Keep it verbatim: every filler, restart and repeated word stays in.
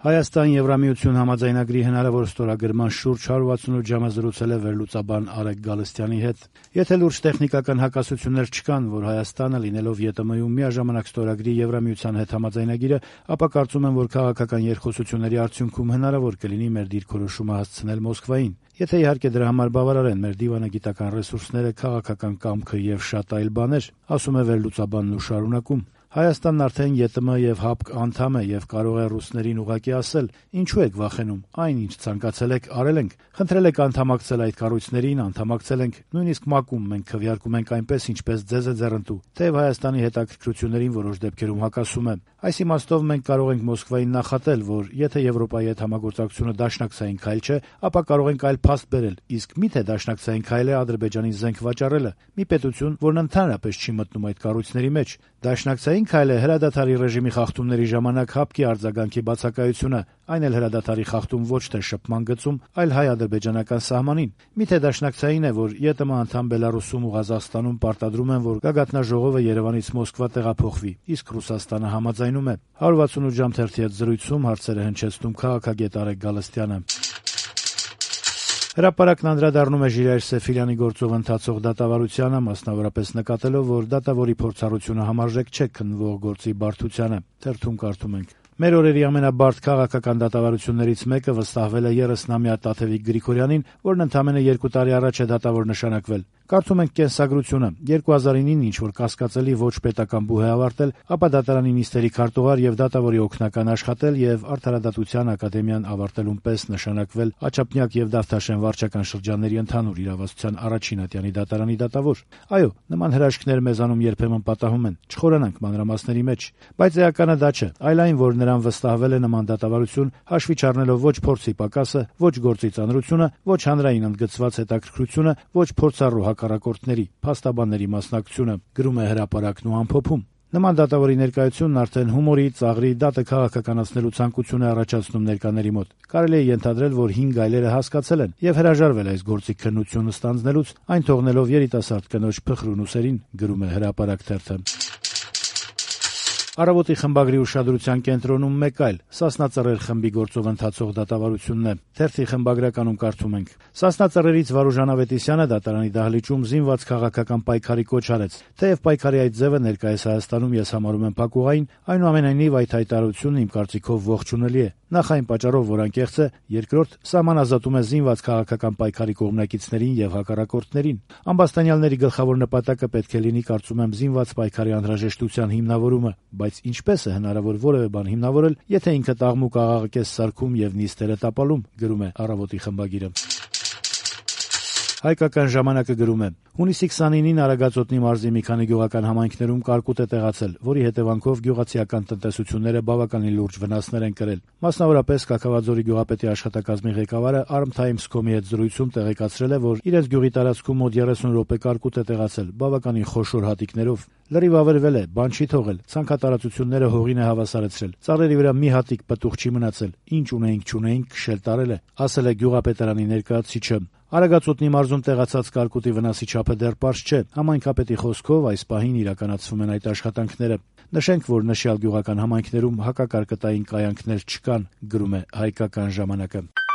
Հայաստան-Եվրամիություն համաձայնագրի հնարավոր ստորագրման շուրջ հարյուր ութսունութ ժամը զրուցել է վերլուծաբան Արեգ Գալստյանի հետ։ Եթե լուրջ տեխնիկական հակասություններ չկան, որ Հայաստանը լինելով ԵՏՄ-ում միաժամանակ ստորագրի Եվրամիության հետ համաձայնագիրը, ապա կարծում եմ, որ քաղաքական երկխոսությունների արդյունքում հնարավոր կլինի մեր դիրքորոշումը հասցնել Մոսկվային։ Եթե իհարկե դրա համար բավարար են մեր դիվանագիտական ռեսուրսները, քաղաքական կամքը եւ շատ այլ բաներ, ասում է վերլուծաբանն ու շարունակում. Հայաստանն արդեն ԵՏՄ եւ ՀԱՊԿ անդամ է եւ կարող է ռուսներին ուղղակի ասել. «Ինչու եք վախենում, այն ինչ ցանկացել եք, արել ենք, խնդրել եք անդամակցել այդ կառույցներին, անդամակցել ենք, նույնիսկ ՄԱԿ-ում մենք քվեարկում ենք այնպես, ինչպես ձեզ է ձեռնտու, թեև Հայաստանի հետաքրքրություններին որոշ դեպքերում հակասում է։ Այս իմաստով մենք կարող ենք Մոսկվային նախատել, որ եթե Եվրոպայի հետ համագործակցությունը դաշնակցային քայլ չէ, ապա կարող ենք այլ փաստ բերել, իսկ միթե դաշնակցային քայլ է Ադրբեջանին զենք վաճառելը, մի պետություն, որն ընդհանրապես չի մտնում այդ կառույցների մեջ։ Դաշնակցային քայլ է հրադադարի ռեժիմի խախտումների ժամանակ ՀԱՊԿ-ի արձագանքի բացակայությունը, այն էլ հրադադարի խախտում ոչ թե շփման գծում, այլ հայ-ադրբեջանական սահմանին։ Միթե դաշնակցային է, որ ԵՏՄ անդամ Բելարուսում ու Ղազախստանում պարտադրում են, որ գագաթնաժողովը Երևանից Մոսկվա տեղափոխվի, իսկ Ռուսաստանը համաձայնում է։ հարյուր ութսունութ ժամ թերթի հետ զրույցում հարցերը հնչեցնում քաղաքագետ Արեգ Գալստյանը։ Հրապարակն անդրադառնում է Ժիրայր Սեֆիրյանի գործով ընթացող դատավարությանը, մասնավորապես նկատելով, որ դատավորի փորձառությունը համարժեք չէ քննվող գործի բարդությանը։ Թերթում կարդում ենք. «Մեր օրերի ամենաբարդ քաղաքական դատավարություններից մեկը վստահվել է երեսնամյա Տաթևիկ Գրիգորյանին, որն ընդամենը երկու տարի առաջ է դատավոր նշանակվել։ Կարդում ենք կենսագրությունը. երկու հազար նինին ինչ-որ կասկածելի ոչ պետական բուհ է ավարտել, ապա դատարանի նիստերի քարտուղար եւ դատավորի օգնական աշխատել եւ Արդարադատության ակադեմիան ավարտելուն պես նշանակվել Աչափնյակ եւ Դավթաշեն վարչական շրջանների ընդհանուր իրավասության առաջին ատյանի դատարանի դատավոր։ Այո, նման հրաշքներ մեզանում երբեմն պատահում են, չխորանանք մանրամասների մեջ, բայց էականը դա չէ, այլ այն, որ նրան վստահվել է նման դատավարություն, հաշվի չառնելով ոչ փորձի պակասը, ոչ գործի ծանրությունը, ոչ հանրային ընդգծված հետաքրքրությունը, ոչ փորձառու հակառակորդների, փաստաբանների մասնակցությունը», գրում է հրապարակն ու ամփոփում։ Նման դատավորի ներկայությունն արդեն հումորի, ծաղրի, դատը քաղաքականացնելու ցանկություն է առաջացնում ներկաների մոտ։ Կարելի է ենթադրել, որ հին գայլերը հասկացել են եւ հրաժարվել այս գործի քննությունը ստանձնելուց, այն թողնելով երիտասարդ կնոջ փխրուն ուսերին, գրում է հրապարակ թերթը։ Առավոտի խմբագրի ուշադրության կենտրոնում մեկ այլ Սասնա Ծռեր խմբի գործով ընթացող դատավարությունն է։ Թերթի խմբագրականում կարդում ենք. Սասնա Ծռերից Վարուժան Ավետիսյանը դատարանի դահլիճում զինված քաղաքական պայքարի կոչ արեց։ Թեև պայքարի այդ ձևը ներկայիս Հայաստանում ես համարում եմ փակուղային, այնուամենայնիվ այդ հայտարարությունն իմ կարծիքով ողջունելի է։ Նախ այն պատճառով, որ անկեղծ է, երկրորդ սահման ազատում է զինված քաղաքական պայքարի կողմնակիցներին եւ հակառակորդներին։ Ամբաստանյալների գլխավոր նպատակը պետք է լինի, կարծում եմ, զինված պայքարի անհրաժեշտության հիմնավորումը, բայց ինչպես է հնարավոր որևէ բան հիմնավորել, եթե ինքը տաղմուկ աղաղակես սարքում եւ նիստերը տապալում, գրում է Առավոտի խմբագիրը։ Հայկական ժամանակը գրում է. հունիսի քսանինին Արագածոտնի մարզի մի քանի գյուղական համայնքներում կարկուտ է տեղացել, որի հետևանքով գյուղացիական տնտեսությունները բավականին լուրջ վնասներ են կրել։ Մասնավորապես Կաքավաձորի գյուղապետի աշխատակազմի ղեկավարը Arm Times.com-ի հետ զրույցում տեղեկացրել է, որ իրենց գյուղի տարածքում մոտ երեսուն րոպե կարկուտ է տեղացել, բավականին խոշոր հատիկներով։ Լրիվ ավերվել է, բան չի թողել, ցանքատարածությունները հողին է հավասարեցրել, ծառերի վրա մի հատիկ պտուղ չի մնացել, ինչ ունեինք չունեինք քշել տարել է, ասել է գյուղապետարանի ներկայացուցիչը։ Արագածոտնի մարզում տեղացած կարկուտի վնասի չափը դեռ պարզ չէ։ Համայնքապետի խոսքով այս պահին իրականացվում են այդ աշխատանքները։ Նշենք, որ նշյալ գյուղական համայնքներում հակակարկտային կայանքներ չկան, գրում է Հայկական ժամանակը։